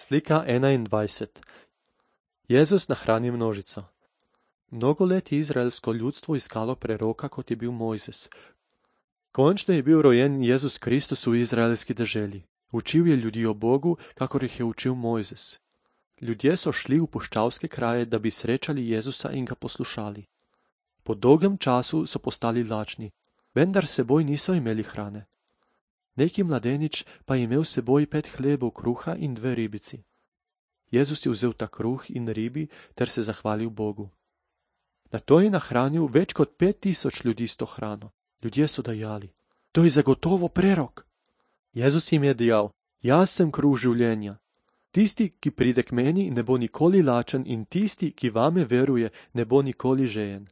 Slika 21. Jezus nahrani množico. Mnogo let je izraelsko ljudstvo iskalo preroka, kot je bil Mojzes. Končno je bil rojen Jezus Kristus v izraelski deželi. Učil je ljudi o Bogu, kakor jih je učil Mojzes. Ljudje so šli v puščavske kraje, da bi srečali Jezusa in ga poslušali. Po dolgem času so postali lačni, vendar s seboj niso imeli hrane. Neki mladenič pa je imel s seboj 5 hlebov kruha in 2 ribici. Jezus je vzel ta kruh in ribi ter se zahvalil Bogu. Nato je nahranil več kot 5000 ljudi s to hrano. Ljudje so dejali: to je zagotovo prerok. Jezus jim je dejal: jaz sem kruh življenja. Tisti, ki pride k meni, ne bo nikoli lačen in tisti, ki vame veruje, ne bo nikoli žejen.